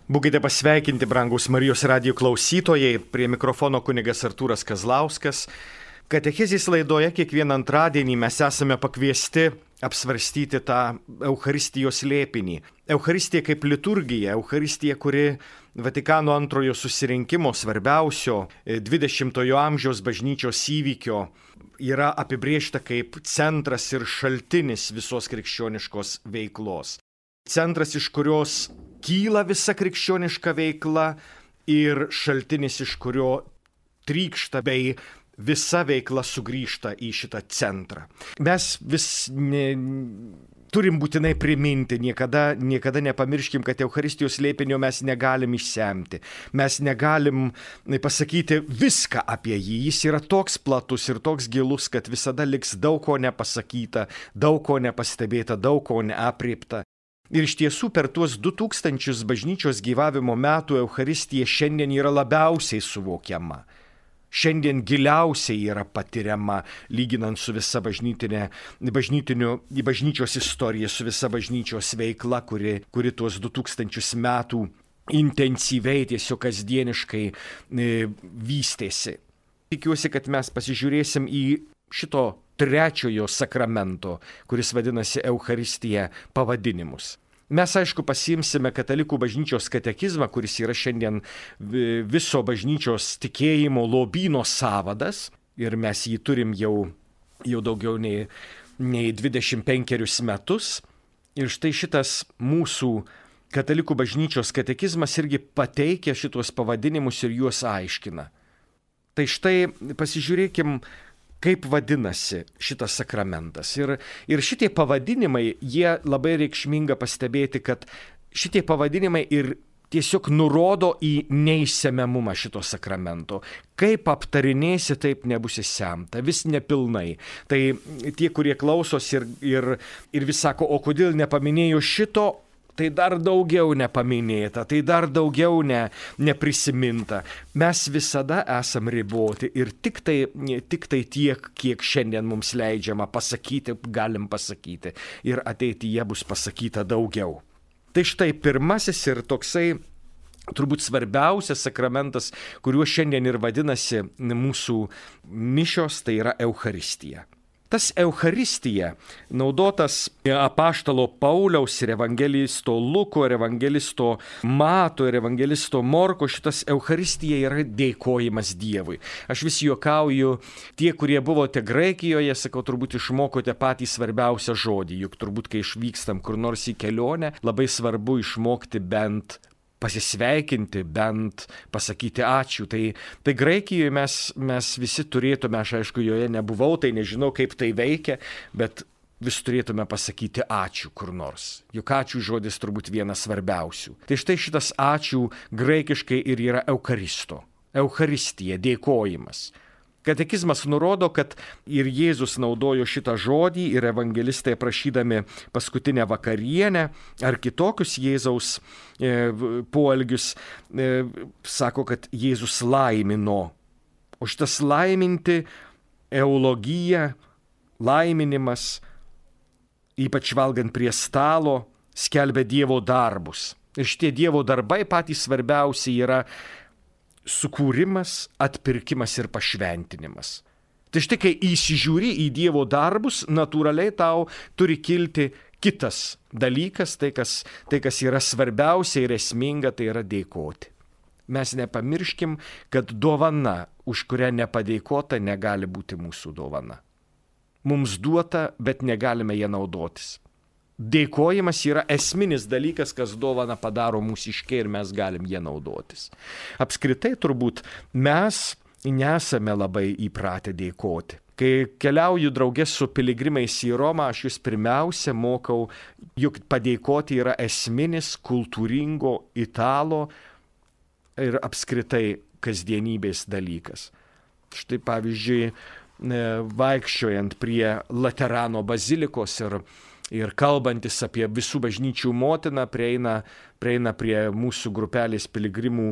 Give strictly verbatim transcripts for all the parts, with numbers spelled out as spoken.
Būkite pasveikinti, brangus Marijos radijo klausytojai, prie mikrofono kunigas Artūras Kazlauskas. Katechezės laidoje kiekvieną antradienį mes esame pakviesti apsvarstyti tą Eucharistijos slėpinį. Eucharistija kaip liturgija, Eucharistija, kuri Vatikano antrojo susirinkimo svarbiausio dvidešimtojo amžiaus bažnyčios įvykio yra apibrėžta kaip centras ir šaltinis visos krikščioniškos veiklos. Centras, iš kurios kyla visa krikščioniška veikla ir šaltinis, iš kurio trykšta bei visa veikla sugrįžta į šitą centrą. Mes vis ne, turim būtinai priminti, niekada, niekada nepamirškim, kad Eucharistijos slėpinio mes negalim išsemti. Mes negalim pasakyti viską apie jį. Jis yra toks platus ir toks gilus, kad visada liks daug ko nepasakyta, daug ko nepastebėta, daug ko neapriepta. Ir iš tiesų per tuos du tūkstančius bažnyčios gyvavimo metų Eucharistija šiandien yra labiausiai suvokiama. Šiandien giliausiai yra patiriama, lyginant su visa bažnytinė, bažnyčios istorija, su visa bažnyčios veikla, kuri, kuri tuos du tūkstančius metų intensyviai, tiesiog kasdieniškai e, vystėsi. Tikiuosi, kad mes pasižiūrėsim į šito trečiojo sakramento, kuris vadinasi Eucharistija, pavadinimus. Mes, aišku, pasiimsime katalikų bažnyčios katekizmą, kuris yra šiandien viso bažnyčios tikėjimo lobyno sąvadas, ir mes jį turim jau, jau daugiau nei, nei dvidešimt penkerius metus. Ir štai šitas mūsų katalikų bažnyčios katekizmas irgi pateikia šitos pavadinimus ir juos aiškina. Tai štai pasižiūrėkim, kaip vadinasi šitas sakramentas. Ir, ir šitie pavadinimai, jie labai reikšminga pastebėti, kad šitie pavadinimai ir tiesiog nurodo į neišsemiamumą šito sakramento. Kaip aptarinėsi, taip nebus išsemta, vis nepilnai. Tai tie, kurie klausos ir, ir, ir vis sako, o kodėl nepaminėjo šito, tai dar daugiau nepaminėta, tai dar daugiau ne, neprisiminta. Mes visada esam riboti ir tik tai, tik tai tiek, kiek šiandien mums leidžiama pasakyti, galim pasakyti. Ir ateityje bus pasakyta daugiau. Tai štai pirmasis ir toksai turbūt svarbiausias sakramentas, kuriuo šiandien ir vadinasi mūsų mišios, tai yra Eucharistija. Tas Eucharistija, naudotas apaštalo Pauliaus ir evangelisto Luko, ir evangelisto Mato, ir evangelisto Morko, šitas Eucharistija yra dėkojimas Dievui. Aš vis juokauju, tie, kurie buvote Graikijoje, sakau, turbūt išmokote patį svarbiausią žodį, juk turbūt, kai išvykstam kur nors į kelionę, labai svarbu išmokti bent pasisveikinti, bent pasakyti ačiū. Tai, tai Graikijoje mes, mes visi turėtume, aš aišku, joje nebuvau, tai nežinau, kaip tai veikia, bet vis turėtume pasakyti ačiū kur nors. Juk ačiū žodis turbūt vienas svarbiausių. Tai štai šitas ačiū graikiškai ir yra Eucharisto. Eucharistija, dėkojimas. Katekizmas nurodo, kad ir Jėzus naudojo šitą žodį, ir evangelistai prašydami paskutinę vakarienę ar kitokius Jėzaus e, poelgius, e, sako, kad Jėzus laimino. O šitas laiminti, eulogija, laiminimas, ypač valgant prie stalo, skelbia Dievo darbus. Ir šitie Dievo darbai patys svarbiausi yra sukūrimas, atpirkimas ir pašventinimas. Tai štai, kai įsižiūri į Dievo darbus, natūraliai tau turi kilti kitas dalykas, tai kas, tai kas yra svarbiausia ir esminga, tai yra dėkoti. Mes nepamirškim, kad dovana, už kurią nepadėkota, negali būti mūsų dovana. Mums duota, bet negalime ją naudotis. Dėkojimas yra esminis dalykas, kas dovaną padaro mūsiškiai ir mes galim ją naudotis. Apskritai turbūt mes nesame labai įpratę dėkoti. Kai keliauju draugės su piligrimais į Romą, aš jūs pirmiausia mokau, juk padėkoti yra esminis kultūringo italo ir apskritai kasdienybės dalykas. Štai pavyzdžiui, vaikščiojant prie Laterano bazilikos ir Ir kalbantis apie visų bažnyčių motiną, prieina, prieina prie mūsų grupelės piligrimų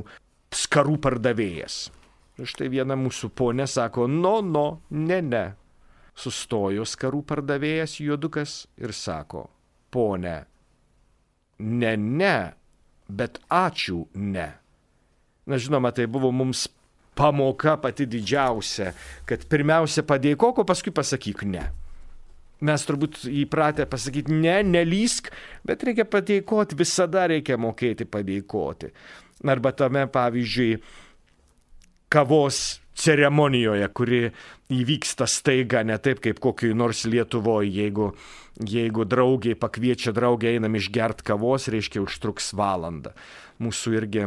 skarų pardavėjas. Ir štai viena mūsų ponė sako, no, no, ne, ne. Sustojo skarų pardavėjas juodukas ir sako, ponė, ne, ne, bet ačiū ne. Na žinoma, tai buvo mums pamoka pati didžiausia, kad pirmiausia padėkok, o paskui pasakyk ne. Mes turbūt įpratę pasakyti ne, nelysk, bet reikia padėkoti, visada reikia mokėti padėkoti. Arba tame, pavyzdžiui, kavos ceremonijoje, kuri įvyksta staiga, ne taip kaip kokioj nors Lietuvoje, jeigu, jeigu draugiai pakviečia draugę, einam išgert kavos, reiškia užtruks valandą. Mūsų irgi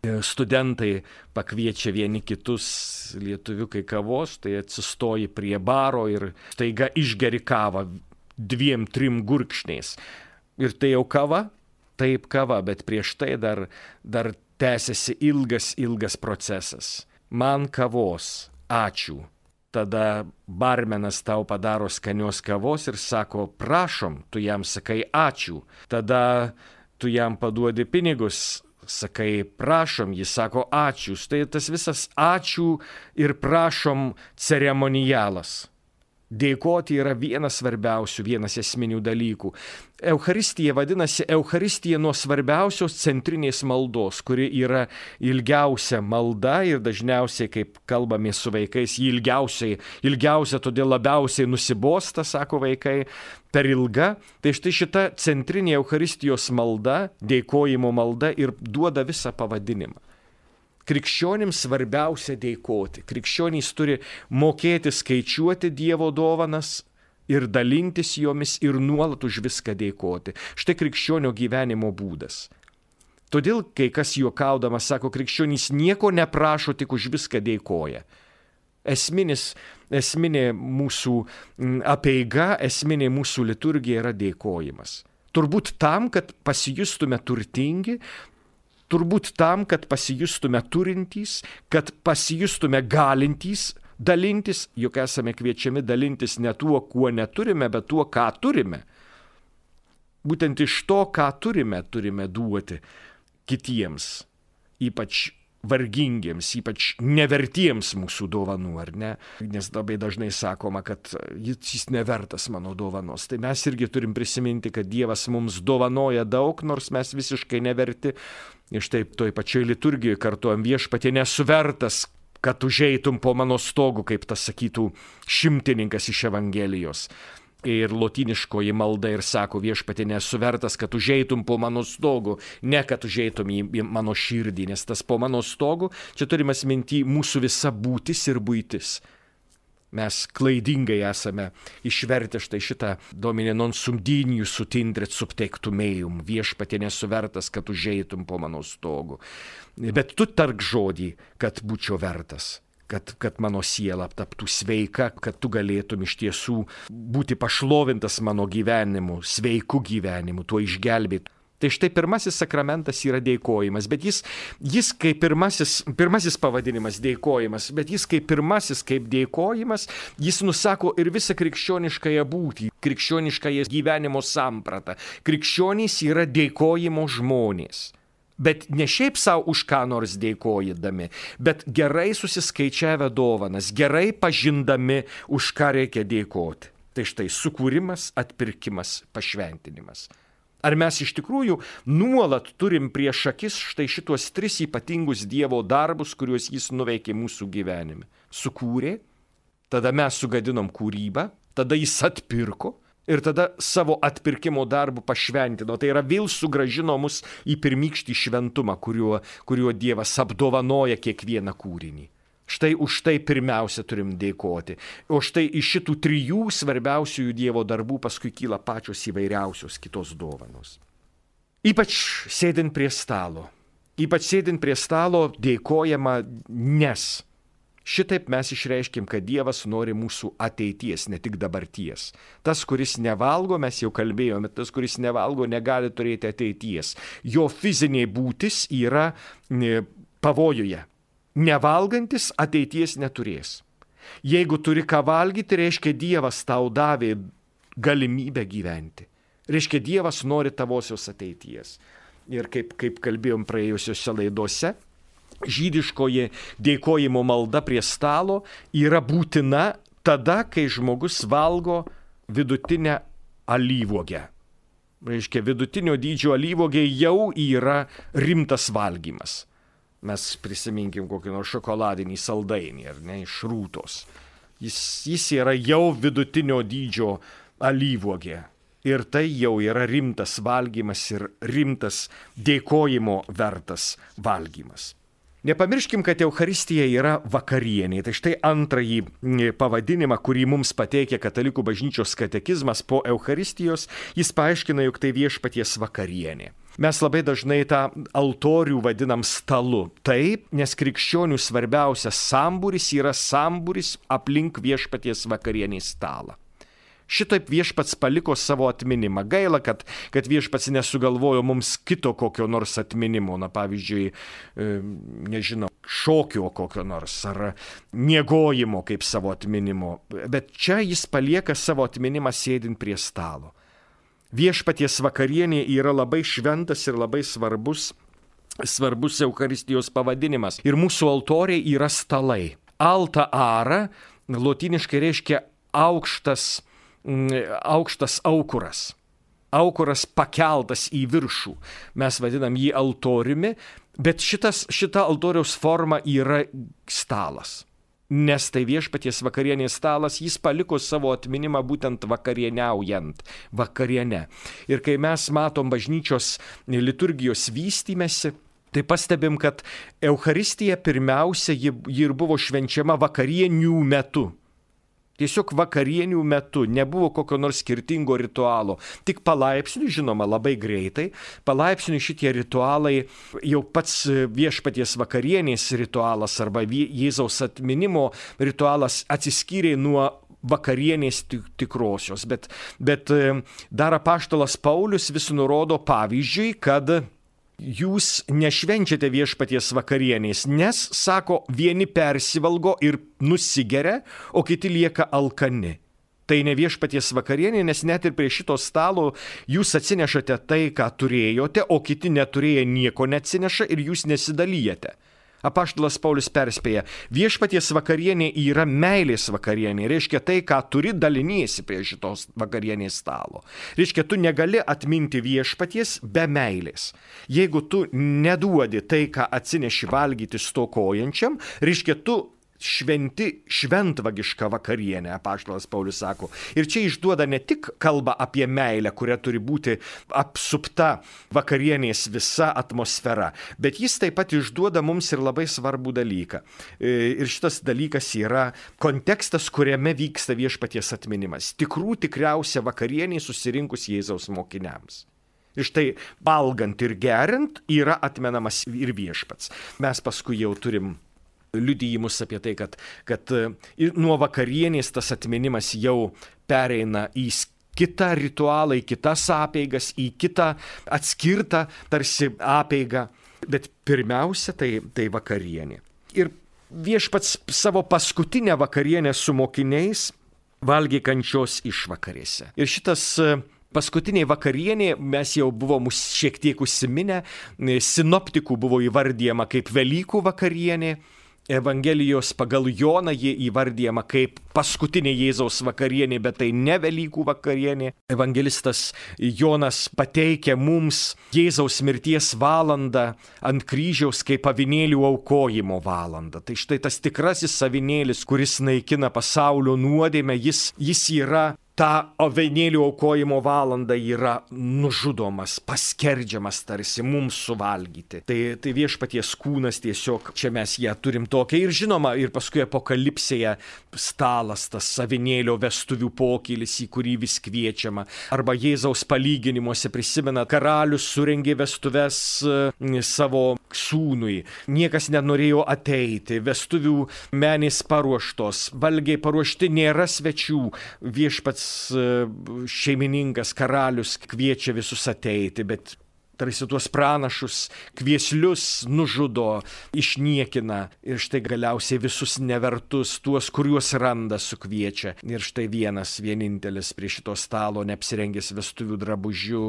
studentai pakviečia vieni kitus lietuviukai kavos, tai atsistoji prie baro ir staiga išgeri kavą dviem, trim gurkšniais. Ir tai jau kava? Taip kava, bet prieš tai dar, dar tęsiasi ilgas, ilgas procesas. Man kavos, ačiū. Tada barmenas tau padaro skanios kavos ir sako, prašom, tu jam sakai ačiū. Tada tu jam paduodi pinigus, sakai prašom, jis sako ačiū. Tai tas visas ačiū ir prašom ceremonialas. Dėkoti yra vienas svarbiausių, vienas esminių dalykų. Eucharistija vadinasi Eucharistija nuo svarbiausios centrinės maldos, kuri yra ilgiausia malda ir dažniausiai, kaip kalbame su vaikais, ji ilgiausiai, ilgiausia, todėl labiausiai nusibosta, sako vaikai, per ilga. Tai štai šita centrinė Eucharistijos malda, dėkojimo malda ir duoda visą pavadinimą. Krikščionims svarbiausia dėkoti. Krikščionys turi mokėti skaičiuoti Dievo dovanas ir dalintis jomis ir nuolat už viską dėkoti. Štai krikščionio gyvenimo būdas. Todėl, kai kas juokaudamas sako, krikščionys nieko neprašo, tik už viską dėkoja. Esminis, esminė mūsų apeiga, esminė mūsų liturgija yra dėkojimas. Turbūt tam, kad pasijustume turtingi, turbūt tam, kad pasijustume turintys, kad pasijustume galintys dalintis, juk esame kviečiami dalintis ne tuo, kuo neturime, bet tuo, ką turime. Būtent iš to, ką turime, turime duoti kitiems, ypač vargingiems, ypač nevertiems mūsų dovanų, ar ne? Nes labai dažnai sakoma, kad jis nevertas mano dovanos. Tai mes irgi turim prisiminti, kad Dievas mums dovanoja daug, nors mes visiškai neverti. Ir štai toj pačioj liturgijoje kartuojam, viešpatie nesu vertas, kad užeitum po mano stogu, kaip tas sakytų šimtininkas iš Evangelijos. Ir lotyniškoji malda ir sako, viešpatie nesu vertas, kad užeitum po mano stogu, ne kad užeitum į mano širdį, nes tas po mano stogu, čia turime minty mūsų visa būtis ir buitis. Mes klaidingai esame išvertę štai šitą Domine non sum dignus ut intret sub tectum meum, viešpatie nesu vertas, kad užeitum po mano stogu. Bet tu tark žodį, kad būčiau vertas. Kad, kad mano siela taptų sveika, kad tu galėtum iš tiesų būti pašlovintas mano gyvenimu, sveiku gyvenimu, tuo išgelbėti. Tai štai pirmasis sakramentas yra dėkojimas, bet jis, jis kaip pirmasis, pirmasis pavadinimas dėkojimas, bet jis kaip pirmasis, kaip dėkojimas, jis nusako ir visą krikščioniškąją būtį, krikščioniškąją gyvenimo sampratą. Krikščionys yra dėkojimo žmonės. Bet ne šiaip savo už ką nors dėkojidami, bet gerai susiskaičiavę dovanas, gerai pažindami, už ką reikia dėkoti. Tai štai sukūrimas, atpirkimas, pašventinimas. Ar mes iš tikrųjų nuolat turim prieš akis štai šitos tris ypatingus Dievo darbus, kuriuos jis nuveikė mūsų gyvenime? Sukūrė, tada mes sugadinom kūrybą, tada jis atpirko, ir tada savo atpirkimo darbų pašventino. Tai yra vėl sugrąžino mus į pirmykštį šventumą, kuriuo, kuriuo Dievas apdovanoja kiekvieną kūrinį. Štai už tai pirmiausia turim dėkoti. O štai iš šitų trijų svarbiausiųjų Dievo darbų paskui kyla pačios įvairiausios kitos dovanos. Ypač sėdint prie stalo. Ypač sėdint prie stalo dėkojama, nes šitaip mes išreiškim, kad Dievas nori mūsų ateities, ne tik dabarties. Tas, kuris nevalgo, mes jau kalbėjome, tas, kuris nevalgo, negali turėti ateities. Jo fizinė būtis yra pavojuje. Nevalgantis ateities neturės. Jeigu turi ką valgyti, reiškia Dievas tau davė galimybę gyventi. Reiškia Dievas nori tavosios ateities. Ir kaip, kaip kalbėjom praėjusiuose laidose, žydiškoji dėkojimo malda prie stalo yra būtina tada, kai žmogus valgo vidutinę alyvuogę. Reiškia, vidutinio dydžio alyvuogė jau yra rimtas valgymas. Mes prisiminkim kokį nors šokoladinį saldainį, ar ne, iš rūtos. Jis, jis yra jau vidutinio dydžio alyvuogė. Ir tai jau yra rimtas valgymas ir rimtas dėkojimo vertas valgymas. Nepamirškim, kad Eucharistija yra vakarienė. Tai štai antrąjį pavadinimą, kurį mums pateikia Katalikų bažnyčios katekizmas po Eucharistijos, jis paaiškina, jog tai viešpaties vakarienė. Mes labai dažnai tą altorių vadinam stalu. Taip, nes krikščionių svarbiausias sambūris yra sambūris aplink viešpaties vakarienės stalą. Šitaip viešpats paliko savo atminimą. Gaila, kad, kad viešpats nesugalvojo mums kito kokio nors atminimo, na pavyzdžiui, e, nežinau, šokio kokio nors ar miegojimo kaip savo atminimo. Bet čia jis palieka savo atminimą sėdint prie stalo. Viešpaties vakarienė yra labai šventas ir labai svarbus, svarbus Eucharistijos pavadinimas. Ir mūsų altoriai yra stalai. Alta ara lotyniškai reiškia aukštas, aukštas aukuras. Aukuras pakeltas į viršų. Mes vadinam jį altoriumi, bet šitas, šita altoriaus forma yra stalas. Nes tai viešpaties vakarienės stalas, jis paliko savo atminimą būtent vakarieniaujant, vakariene. Ir kai mes matom bažnyčios liturgijos vystymesi, tai pastebim, kad Eucharistija pirmiausia, ji, ji ir buvo švenčiama vakarienių metu. Tiesiog vakarienių metu nebuvo kokio nors skirtingo ritualo. Tik palaipsniui, žinoma, labai greitai, palaipsniui šitie ritualai, jau pats viešpaties vakarienės ritualas arba Jėzaus atminimo ritualas atsiskyrė nuo vakarienės tikrosios. Bet, bet dar apaštalas Paulius vis nurodo pavyzdžiui, kad jūs nešvenčiate viešpaties vakarienės, nes, sako, vieni persivalgo ir nusigeria, o kiti lieka alkani. Tai ne viešpaties vakarienė, nes net ir prie šito stalo jūs atsinešate tai, ką turėjote, o kiti neturėję nieko neatsineša ir jūs nesidalyjate. Apaštalas Paulius perspėja, viešpaties vakarienė yra meilės vakarienė, reiškia tai, ką turi, daliniesi prie šitos vakarienės stalo. Reiškia, tu negali atminti viešpaties be meilės. Jeigu tu neduodi tai, ką atsineši valgyti stokojančiam, reiškia, tu šventi šventvagišką vakarienę, apaštalas Paulius sako. Ir čia išduoda ne tik kalbą apie meilę, kuria turi būti apsupta vakarienės visa atmosfera, bet jis taip pat išduoda mums ir labai svarbų dalyką. Ir šitas dalykas yra kontekstas, kuriame vyksta viešpaties atminimas. Tikrų tikriausia vakarienė susirinkus Jėzaus mokiniams. Ir štai valgant ir geriant yra atmenamas ir viešpats. Mes paskui jau turim liudijimus apie tai, kad, kad nuo vakarienės tas atminimas jau pereina į kitą ritualą, į kitas apeigas, į kitą atskirtą tarsi apeigą. Bet pirmiausia, tai, tai vakarienė. Ir viešpats savo paskutinę vakarienę su mokiniais valgė kančios išvakarėse. Ir šitas paskutinė vakarienė, mes jau buvom šiek tiek užsiminę, sinoptikų buvo įvardyjama kaip Velykų vakarienė. Evangelijos pagal Joną jie įvardyjama kaip paskutinė Jėzaus vakarienė, bet tai ne Velykų vakarienė. Evangelistas Jonas pateikia mums Jėzaus mirties valandą ant kryžiaus kaip avinėlių aukojimo valandą. Tai štai tas tikrasis avinėlis, kuris naikina pasaulio nuodėmę, jis, jis yra ta avinėlių aukojimo valanda yra nužudomas, paskerdžiamas tarsi mums suvalgyti. Tai, tai viešpaties kūnas tiesiog, čia mes ją turim tokią. Ir žinoma, ir paskui apokalipsėje stalas, tas avinėlio vestuvių pokylis, į kurį vis kviečiama. Arba Jėzaus palyginimuose prisimena, karalius surengė vestuves savo sūnui. Niekas nenorėjo ateiti, vestuvių menės paruoštos, valgiai paruošti, nėra svečių. Viešpats šeimininkas, karalius kviečia visus ateiti, bet tarsi tuos pranašus, kvieslius nužudo, išniekina ir štai galiausiai visus nevertus, tuos, kuriuos randa, sukviečia. Ir štai vienas, vienintelis prie šito stalo, neapsirengęs vestuvių drabužių,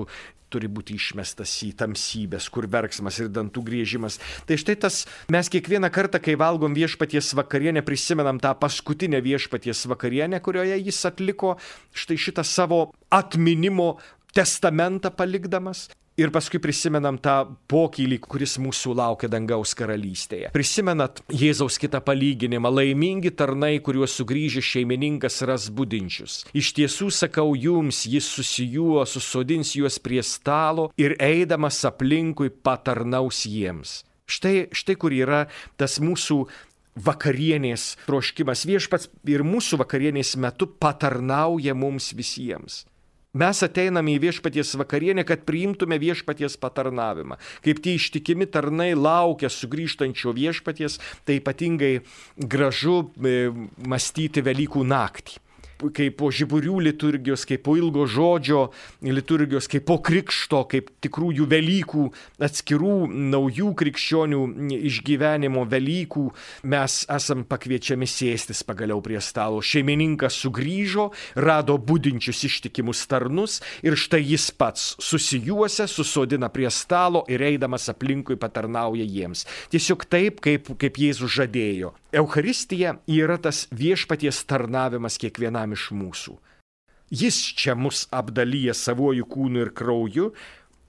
turi būti išmestas į tamsybės, kur verksmas ir dantų griežimas. Tai štai tas, mes kiekvieną kartą, kai valgom viešpaties vakarienę, prisimenam tą paskutinę viešpaties vakarienę, kurioje jis atliko štai šitą savo atminimo testamentą palikdamas. Ir paskui prisimenam tą pokylį, kuris mūsų laukia dangaus karalystėje. Prisimenat Jėzaus kitą palyginimą: laimingi tarnai, kuriuos sugrįžęs šeimininkas ras budinčius. Iš tiesų sakau jums, jis susijuo, susodins juos prie stalo ir eidamas aplinkui patarnaus jiems. Štai, štai kur yra tas mūsų vakarienės troškimas. Viešpats ir mūsų vakarienės metu patarnauja mums visiems. Mes ateiname į viešpaties vakarienę, kad priimtume viešpaties patarnavimą. Kaip tie ištikimi tarnai laukia sugrįžtančio viešpaties, tai ypatingai gražu e, mąstyti Velykų naktį. Kaip po žiburių liturgijos, kaip po ilgo žodžio liturgijos, kaip po krikšto, kaip tikrųjų Velykų, atskirų naujų krikščionių išgyvenimo Velykų, mes esam pakviečiami sėstis pagaliau prie stalo. Šeimininkas sugrįžo, rado budinčius ištikimus tarnus ir štai jis pats susijuosia, susodina prie stalo ir eidamas aplinkui patarnauja jiems. Tiesiog taip, kaip, kaip Jėzus žadėjo. Eucharistija yra tas viešpaties tarnavimas kiekvienam iš mūsų. Jis čia mus apdalyja savuoju kūnu ir krauju.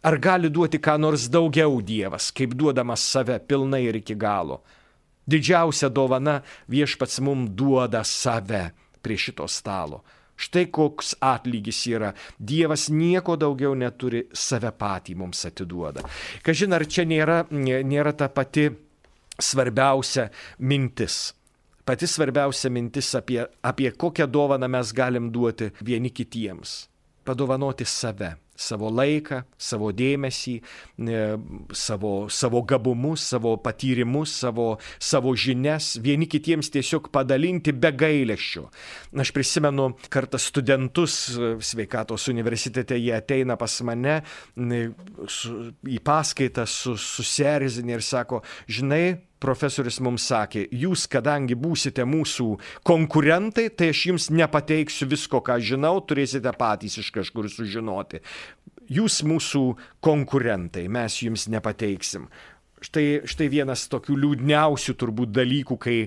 Ar gali duoti ką nors daugiau Dievas, kaip duodamas save pilnai ir iki galo? Didžiausia dovana viešpats mums duoda save prie šito stalo. Štai koks atlygis yra. Dievas nieko daugiau neturi, save patį mums atiduoda. Kažin, ar čia nėra, nėra ta pati svarbiausia mintis. Pati svarbiausia mintis apie, apie kokią dovaną mes galim duoti vieni kitiems. Padovanoti save, savo laiką, savo dėmesį, savo, savo gabumus, savo patyrimus, savo, savo žinias, vieni kitiems tiesiog padalinti be gailesčio. Aš prisimenu kartą studentus sveikatos universitete, jie ateina pas mane su, į paskaitą su, susierzinę ir sako: žinai, profesorius mums sakė, jūs kadangi būsite mūsų konkurentai, tai aš jums nepateiksiu visko, ką žinau, turėsite patys iš kažkur sužinoti. Jūs mūsų konkurentai, mes jums nepateiksim. Štai, štai vienas tokių liūdniausių turbūt dalykų, kai,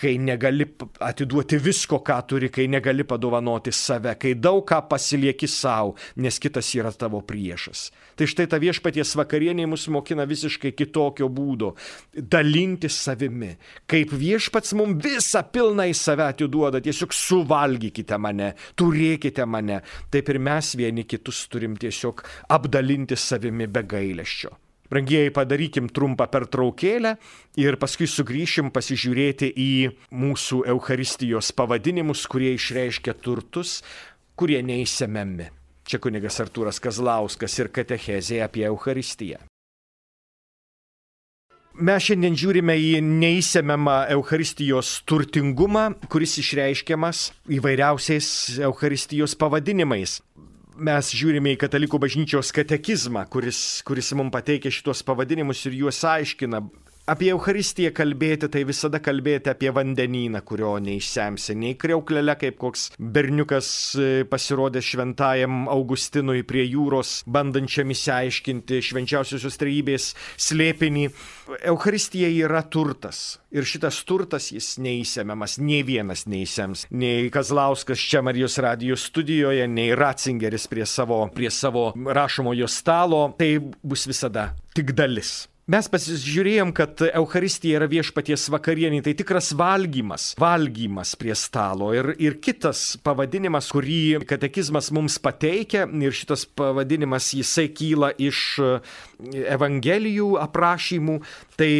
kai negali atiduoti visko, ką turi, kai negali padovanoti save, kai daug ką pasilieki savo, nes kitas yra tavo priešas. Tai štai ta viešpaties vakarienė mus mokina visiškai kitokio būdo - dalintis savimi. Kaip viešpats mums visą pilną į save atiduoda, tiesiog suvalgykite mane, turėkite mane. Taip ir mes vieni kitus turim tiesiog apdalinti savimi be gailesčio. Brangieji, padarykim trumpą pertraukėlę ir paskui sugrįšim pasižiūrėti į mūsų Eucharistijos pavadinimus, kurie išreiškia turtus, kurie neįsemiami. Čia kunigas Artūras Kazlauskas ir katechezė apie Eucharistiją. Mes šiandien žiūrime į neįsemiamą Eucharistijos turtingumą, kuris išreiškiamas įvairiausiais Eucharistijos pavadinimais. Mes žiūrime į Katalikų bažnyčios katekizmą, kuris, kuris mums pateikia šitos pavadinimus ir juos aiškina. Apie Eucharistiją kalbėti, tai visada kalbėti apie vandenyną, kurio neišsemsi, nei kriauklele, kaip koks berniukas pasirodė šventajam Augustinui prie jūros, bandančiam išsiaiškinti švenčiausiosios trejybės slėpinį. Eucharistija yra turtas. Ir šitas turtas jis neįsemiamas, nei vienas neįsems. Nei Kazlauskas čia Marijos radijo studijoje, nei Ratzingeris prie savo, prie savo rašomojo stalo. Tai bus visada tik dalis. Mes pasižiūrėjom, kad Eucharistija yra viešpaties vakarienė, tai tikras valgymas, valgymas prie stalo. Ir, ir kitas pavadinimas, kurį katekizmas mums pateikia, ir šitas pavadinimas jisai kyla iš Evangelijų aprašymų, tai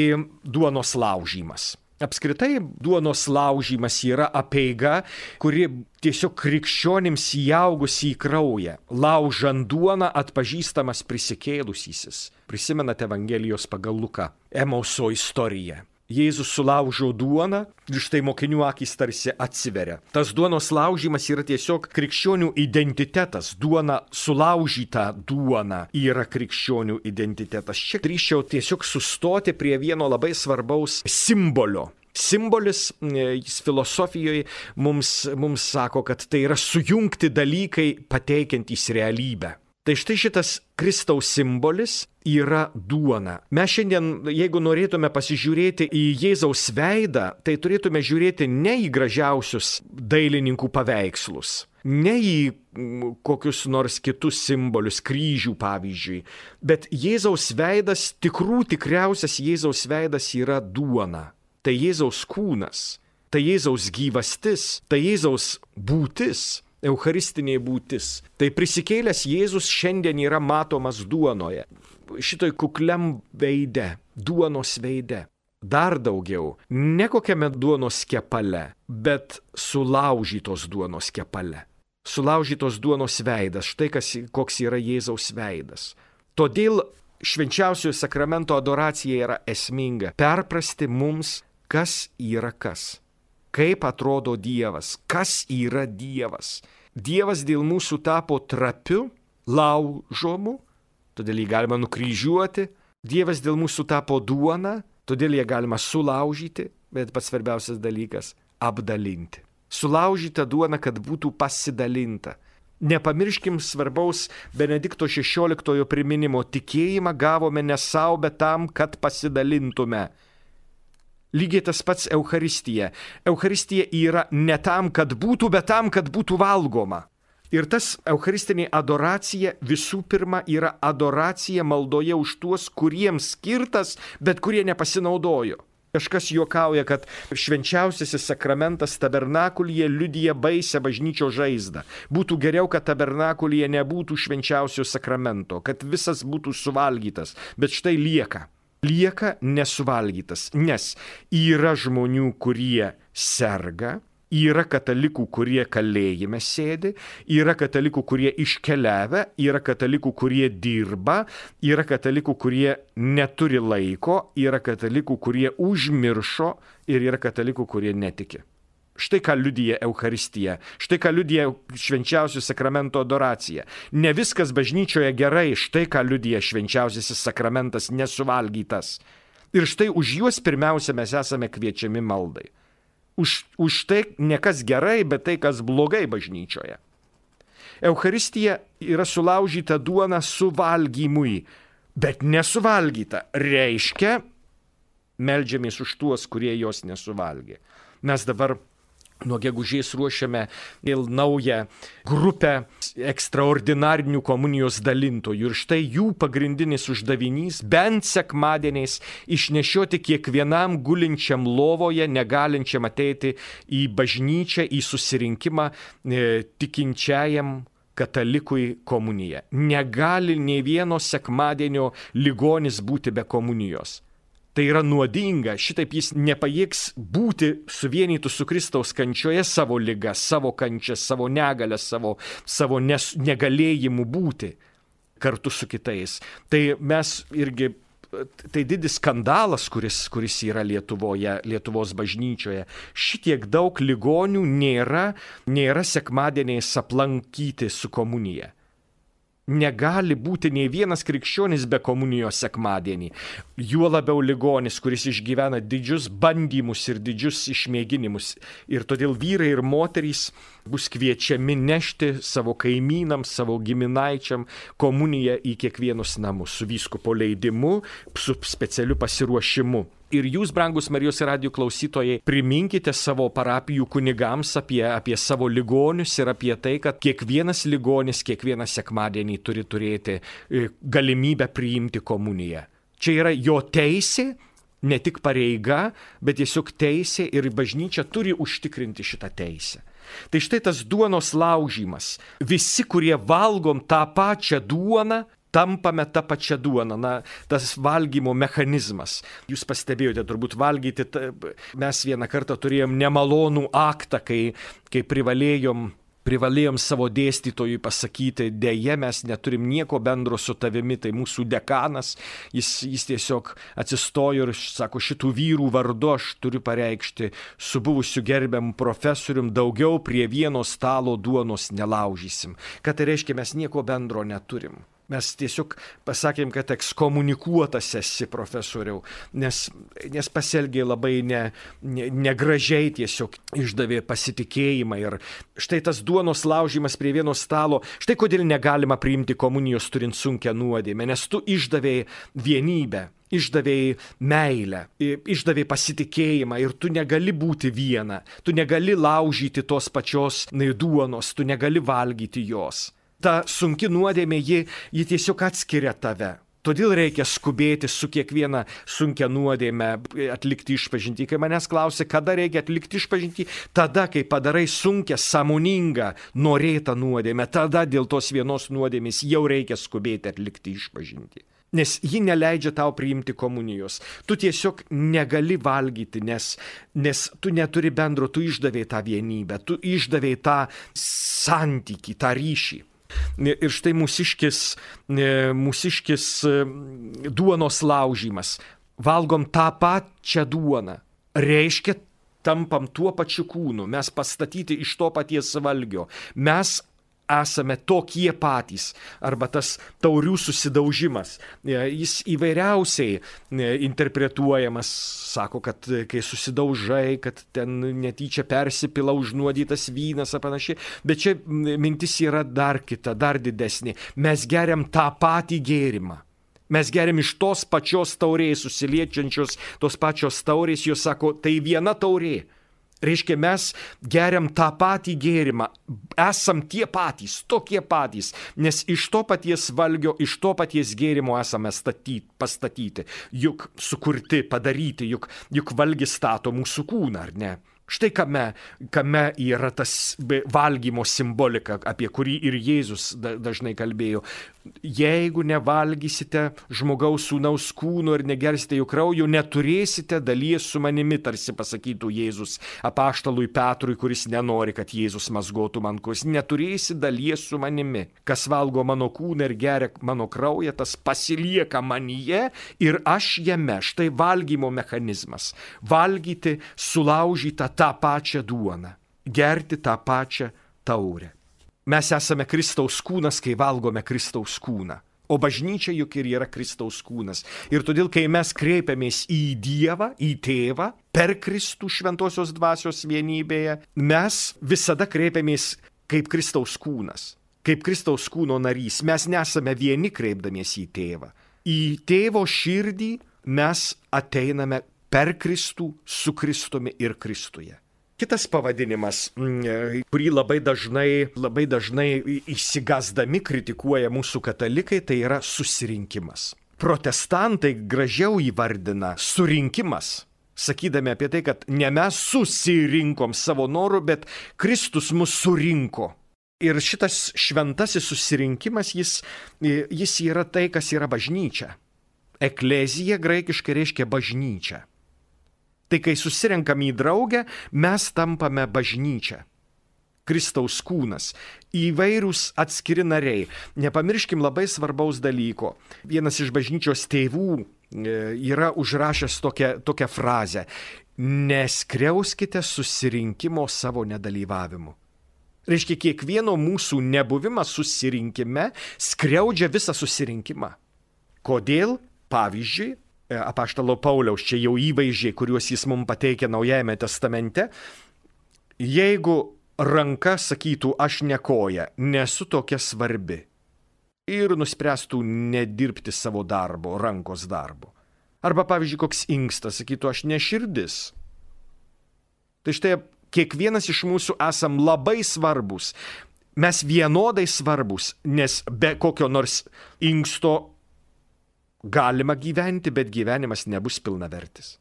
duonos laužymas. Apskritai, duonos laužymas yra apeiga, kuri tiesiog krikščionims įaugusi į kraują. Laužant duoną atpažįstamas prisikėlusysis. Prisimenate Evangelijos pagal Luką, Emauso istoriją. Jėzus sulaužo duoną ir štai mokinių akys tarsi atsiveria. Tas duonos laužymas yra tiesiog krikščionių identitetas. Duona, sulaužyta duona yra krikščionių identitetas. Čia drįsčiau tiesiog sustoti prie vieno labai svarbaus simbolio. Simbolis, jis filosofijoje mums, mums sako, kad tai yra sujungti dalykai pateikiantys realybę. Tai štai šitas Kristaus simbolis yra duona. Mes šiandien, jeigu norėtume pasižiūrėti į Jėzaus veidą, tai turėtume žiūrėti ne į gražiausius dailininkų paveikslus, ne į kokius nors kitus simbolius, kryžių pavyzdžiui, bet Jėzaus veidas, tikrų tikriausias Jėzaus veidas yra duona. Tai Jėzaus kūnas, tai Jėzaus gyvastis, tai Jėzaus būtis, eucharistinė būtis. Tai prisikėlęs Jėzus šiandien yra matomas duonoje, šitoj kukliam veide, duonos veide. Dar daugiau, ne kokiame duonos kepale, bet sulaužytos duonos kepale. Sulaužytos duonos veidas, štai kas, koks yra Jėzaus veidas. Todėl švenčiausiojo sakramento adoracija yra esminga. Perprasti mums, kas yra kas. Kaip atrodo Dievas, kas yra Dievas. Dievas dėl mūsų tapo trapiu, laužomu, todėl jį galima nukryžiuoti. Dievas dėl mūsų tapo duona, todėl ją galima sulaužyti, bet pats svarbiausias dalykas – apdalinti. Sulaužyta duona, kad būtų pasidalinta. Nepamirškim svarbaus Benedikto šešioliktojo priminimo, tikėjimą gavome ne savo, bet tam, kad pasidalintume. Lygiai tas pats Eucharistija. Eucharistija yra ne tam, kad būtų, bet tam, kad būtų valgoma. Ir tas eucharistinė adoracija visų pirma yra adoracija maldoje už tuos, kuriems skirtas, bet kurie nepasinaudojo. Kažkas juokauja, kad švenčiausiasis sakramentas tabernakulyje liudija baisę bažnyčios žaizdą. Būtų geriau, kad tabernakulyje nebūtų švenčiausio sakramento, kad visas būtų suvalgytas, bet štai lieka. Lieka nesuvalgytas, nes yra žmonių, kurie serga, yra katalikų, kurie kalėjime sėdi, yra katalikų, kurie iškeliavę, yra katalikų, kurie dirba, yra katalikų, kurie neturi laiko, yra katalikų, kurie užmiršo ir yra katalikų, kurie netiki. Štai ką liudija Eucharistija, štai ką liudija švenčiausio sakramento adoracija. Ne viskas bažnyčioje gerai, štai ką liudija švenčiausiasis sakramentas nesuvalgytas. Ir štai už juos pirmiausia mes esame kviečiami maldai. Už, už tai ne kas gerai, bet tai, kas blogai bažnyčioje. Eucharistija yra sulaužyta duona suvalgymui, bet nesuvalgyta. Reiškia, meldžiamės už tuos, kurie jos nesuvalgė. Mes dabar nuo gegužės ruošiame vėl naują grupę ekstraordinarinių komunijos dalintojų. Ir štai jų pagrindinis uždavinys bent sekmadieniais išnešioti kiekvienam gulinčiam lovoje, negalinčiam ateiti į bažnyčią, į susirinkimą e, tikinčiajam katalikui komuniją. Negali nei vieno sekmadienio ligonis būti be komunijos. Tai yra nuodinga, šitaip jis nepajėgs būti suvienytų su Kristaus kančioje savo ligą, savo kančią, savo negalę, savo, savo nes, negalėjimu būti kartu su kitais. Tai mes irgi, tai didis skandalas, kuris, kuris yra Lietuvoje, Lietuvos bažnyčioje. Šitiek daug ligonių nėra, nėra sekmadieniais aplankyti su komunija. Negali būti nei vienas krikščionis be komunijos sekmadienį. Juo labiau ligonis, kuris išgyvena didžius bandymus ir didžius išmėginimus. Ir todėl vyrai ir moterys bus kviečiami nešti savo kaimynams, savo giminaičiam komuniją į kiekvienus namus su vyskupo leidimu, su specialiu pasiruošimu. Ir jūs, brangus Marijos radijo klausytojai, priminkite savo parapijų kunigams apie, apie savo ligonius ir apie tai, kad kiekvienas ligonis kiekvieną sekmadienį turi turėti galimybę priimti komuniją. Čia yra jo teisė, ne tik pareiga, bet tiesiog teisė ir bažnyčia turi užtikrinti šitą teisę. Tai štai tas duonos laužymas. Visi, kurie valgom tą pačią duoną, tampame tą pačią duoną, na, tas valgymo mechanizmas. Jūs pastebėjote, turbūt valgyti, mes vieną kartą turėjom nemalonų aktą, kai, kai privalėjom, privalėjom savo dėstytojui pasakyti, deja, mes neturim nieko bendro su tavimi, tai mūsų dekanas, jis, jis tiesiog atsistojo ir sako, šitų vyrų vardu aš turiu pareikšti su buvusiu gerbiamu profesorium, daugiau prie vieno stalo duonos nelaužysim. Ką tai reiškia, mes nieko bendro neturim. Mes tiesiog pasakėm, kad ekskomunikuotas esi, profesoriau, nes, nes pasielgė labai ne, ne, negražiai, tiesiog išdavė pasitikėjimą. Ir štai tas duonos laužimas prie vieno stalo, štai kodėl negalima priimti komunijos turint sunkią nuodėmę, nes tu išdavėjai vienybę, išdavėjai meilę, išdavėjai pasitikėjimą ir tu negali būti viena, tu negali laužyti tos pačios duonos, tu negali valgyti jos. Ta sunki nuodėmė, ji, ji tiesiog atskiria tave. Todėl reikia skubėti su kiekviena sunkia nuodėme atlikti išpažintį. Kai manęs klausia, kada reikia atlikti išpažintį, tada, kai padarai sunkią, sąmoningą, norėtą nuodėmę, tada dėl tos vienos nuodėmės jau reikia skubėti atlikti išpažintį. Nes ji neleidžia tau priimti komunijos. Tu tiesiog negali valgyti, nes, nes tu neturi bendro, tu išdavėjai tą vienybę, tu išdavėjai tą santykį, tą ryšį. Ir štai mūsiškis, mūsiškis duonos laužymas. Valgom tą pačią duoną. Reiškia, tampam tuo pačiu kūnu. Mes pastatyti iš to paties valgio. Mes esame tokie patys. Arba tas taurių susidaužimas. Jis įvairiausiai interpretuojamas. Sako, kad kai susidaužai, kad ten netyčia persipila užnuodytas vynas ar panašiai. Bet čia mintis yra dar kita, dar didesnė. Mes geriam tą patį gėrimą. Mes geriam iš tos pačios taurės, susiliečiančios tos pačios taurės. Jos sako, tai viena taurė. Reiškia, mes geriam tą patį gėrimą, esam tie patys, tokie patys, nes iš to paties valgio, iš to paties gėrimo esame statyti, pastatyti, juk sukurti, padaryti, juk, juk valgis stato mūsų kūną, ar ne? Štai kame, kame yra tas valgymo simbolika, apie kurį ir Jėzus dažnai kalbėjo. Jeigu nevalgysite žmogaus sūnaus kūno ir negersite jų kraujo, neturėsite dalies su manimi, tarsi pasakytų Jėzus apaštalui Petrui, kuris nenori, kad Jėzus mazgotų man kojos. Neturėsi dalies su manimi. Kas valgo mano kūną ir geria mano kraują, tas pasilieka manyje ir aš jame. Štai valgymo mechanizmas. Valgyti sulaužytą tą pačią duoną. Gerti tą pačią taurę. Mes esame Kristaus kūnas, kai valgome Kristaus kūną. O bažnyčia juk ir yra Kristaus kūnas. Ir todėl, kai mes kreipiamės į Dievą, į Tėvą, per Kristų šventosios dvasios vienybėje, mes visada kreipiamės kaip Kristaus kūnas, kaip Kristaus kūno narys. Mes nesame vieni kreipdamiesi į Tėvą. Į Tėvo širdį mes ateiname per Kristų, su Kristumi ir Kristuje. Kitas pavadinimas, kurį labai dažnai, labai dažnai išsigasdami kritikuoja mūsų katalikai, tai yra susirinkimas. Protestantai gražiau įvardina surinkimas, sakydami apie tai, kad ne mes susirinkom savo noru, bet Kristus mus surinko. Ir šitas šventasis susirinkimas, jis, jis yra tai, kas yra bažnyčia. Eklezija graikiškai reiškia bažnyčia. Tai kai susirenkam į draugę, mes tampame bažnyčia. Kristaus kūnas. Įvairūs atskiri nariai. Nepamirškim labai svarbaus dalyko. Vienas iš bažnyčios tėvų yra užrašęs tokią, tokią frazę. Neskriauskite susirinkimo savo nedalyvavimu. Reiškia, kiekvieno mūsų nebuvimas susirinkime skriaudžia visą susirinkimą. Kodėl? Pavyzdžiui, apaštalo Pauliaus čia jau įvaizdžiai, kuriuos jis mums pateikia Naujajame testamente. Jeigu ranka sakytų, aš ne koja, nesu tokia svarbi ir nuspręstų nedirbti savo darbo, rankos darbo. Arba, pavyzdžiui, koks inkstas sakytų, aš ne širdis. Tai štai kiekvienas iš mūsų esam labai svarbus. Mes vienodai svarbus, nes be kokio nors inksto galima gyventi, bet gyvenimas nebus pilnavertis.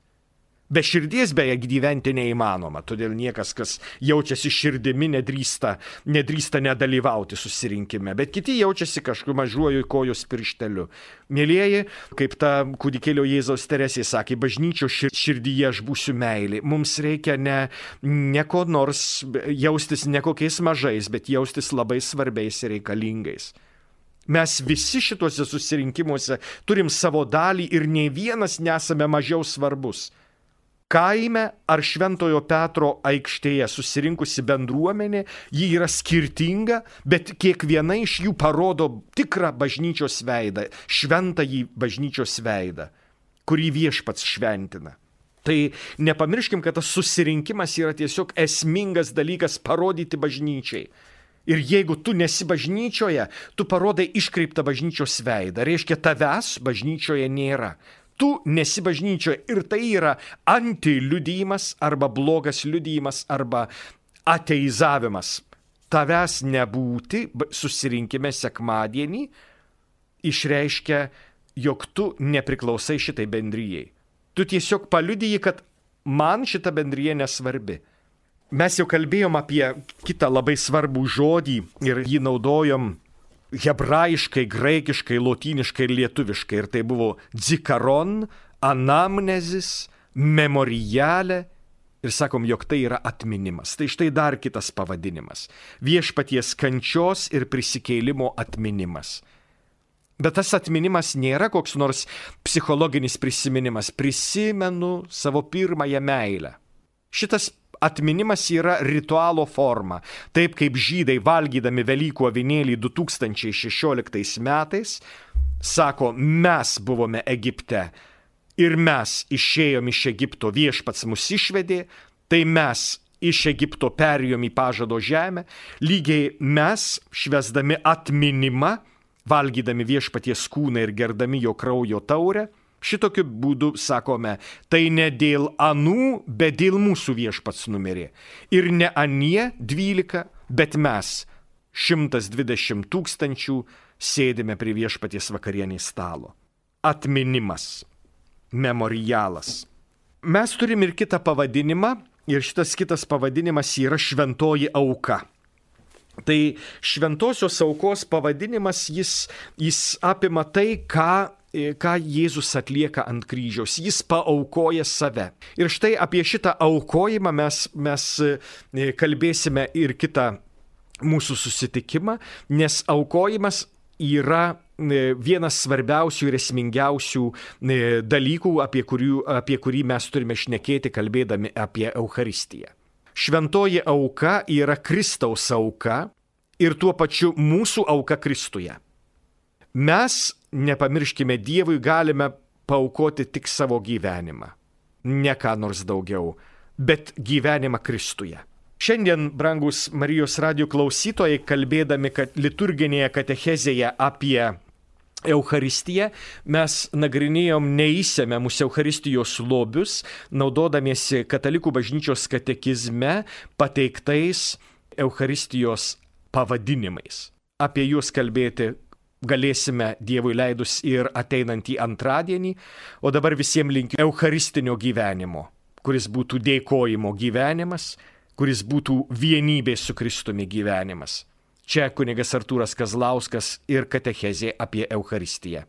Be širdies beje gyventi neįmanoma, todėl niekas, kas jaučiasi širdimi, nedrįsta, nedrįsta nedalyvauti susirinkime, bet kiti jaučiasi kažkur mažuoju kojos piršteliu. Mielieji, kaip ta kūdikėlio Jėzaus Teresė sakė, bažnyčio širdyje aš būsiu meilė. Mums reikia ne, ne ko nors jaustis ne kokiais mažais, bet jaustis labai svarbiais ir reikalingais. Mes visi šituose susirinkimuose turim savo dalį ir nei vienas nesame mažiau svarbus. kaime ar Šventojo Petro aikštėje susirinkusi bendruomenė, ji yra skirtinga, bet kiekviena iš jų parodo tikrą bažnyčios veidą, šventąjį bažnyčios veidą, kurį viešpats šventina. Tai nepamirškim, kad tas susirinkimas yra tiesiog esmingas dalykas parodyti bažnyčiai. Ir jeigu tu nesi bažnyčioje, tu parodai iškreiptą bažnyčios veidą. Reiškia, tavęs bažnyčioje nėra. Tu nesi bažnyčioje ir tai yra antiliudijimas arba blogas liudijimas arba ateizavimas. Tavęs nebūti susirinkime sekmadienį išreiškia, jog tu nepriklausai šitai bendrijai. Tu tiesiog paliudiji, kad man šita bendrija nesvarbi. Mes jau kalbėjom apie kitą labai svarbų žodį ir jį naudojom hebrajiškai, graikiškai, lotyniškai ir lietuviškai. Ir tai buvo dzikaron, anamnezis, memorialė. Ir sakom, jog tai yra atminimas. Tai štai dar kitas pavadinimas. Viešpaties kančios ir prisikėlimo atminimas. Bet tas atminimas nėra koks nors psichologinis prisiminimas. Prisimenu savo pirmąją meilę. Šitas atminimas yra ritualo forma. Taip kaip žydai valgydami Velykų avinėlį du tūkstančiai šešioliktais metais sako, mes buvome Egipte ir mes išėjom iš Egipto, viešpats mus išvedė, tai mes iš Egipto perėjom į pažado žemę, lygiai mes švęsdami atminimą, valgydami viešpaties kūną ir gerdami jo kraujo taurę, šitokiu būdu sakome, tai ne dėl anų, bet dėl mūsų viešpats numirė. Ir ne anie dvylika, bet mes, šimtas dvidešimt tūkstančių, sėdime prie viešpaties vakarienės stalo. Atminimas, memorialas. Mes turim ir kitą pavadinimą, ir šitas kitas pavadinimas yra šventoji auka. Tai šventosios aukos pavadinimas, jis, jis apima tai, ką, ką Jėzus atlieka ant kryžiaus. Jis paaukoja save. Ir štai apie šitą aukojimą mes, mes kalbėsime ir kitą mūsų susitikimą, nes aukojimas yra vienas svarbiausių ir esmingiausių dalykų, apie, kurių, apie kurį mes turime šnekėti, kalbėdami apie Eucharistiją. Šventoji auka yra Kristaus auka ir tuo pačiu mūsų auka Kristuje. Mes, nepamirškime, Dievui galime paaukoti tik savo gyvenimą, ne ką nors daugiau, bet gyvenimą Kristuje. Šiandien, brangus Marijos radijo klausytojai, kalbėdami kad liturginėje katechezėje apie Eucharistiją, mes nagrinėjom neįsemiamus Eucharistijos lobius, naudodamiesi Katalikų bažnyčios katekizme pateiktais Eucharistijos pavadinimais. Apie juos kalbėti galėsime Dievui leidus ir ateinantį antradienį, o dabar visiems linkiu eucharistinio gyvenimo, kuris būtų dėkojimo gyvenimas, kuris būtų vienybės su Kristumi gyvenimas. Čia kunigas Artūras Kazlauskas ir katechezė apie Eucharistiją.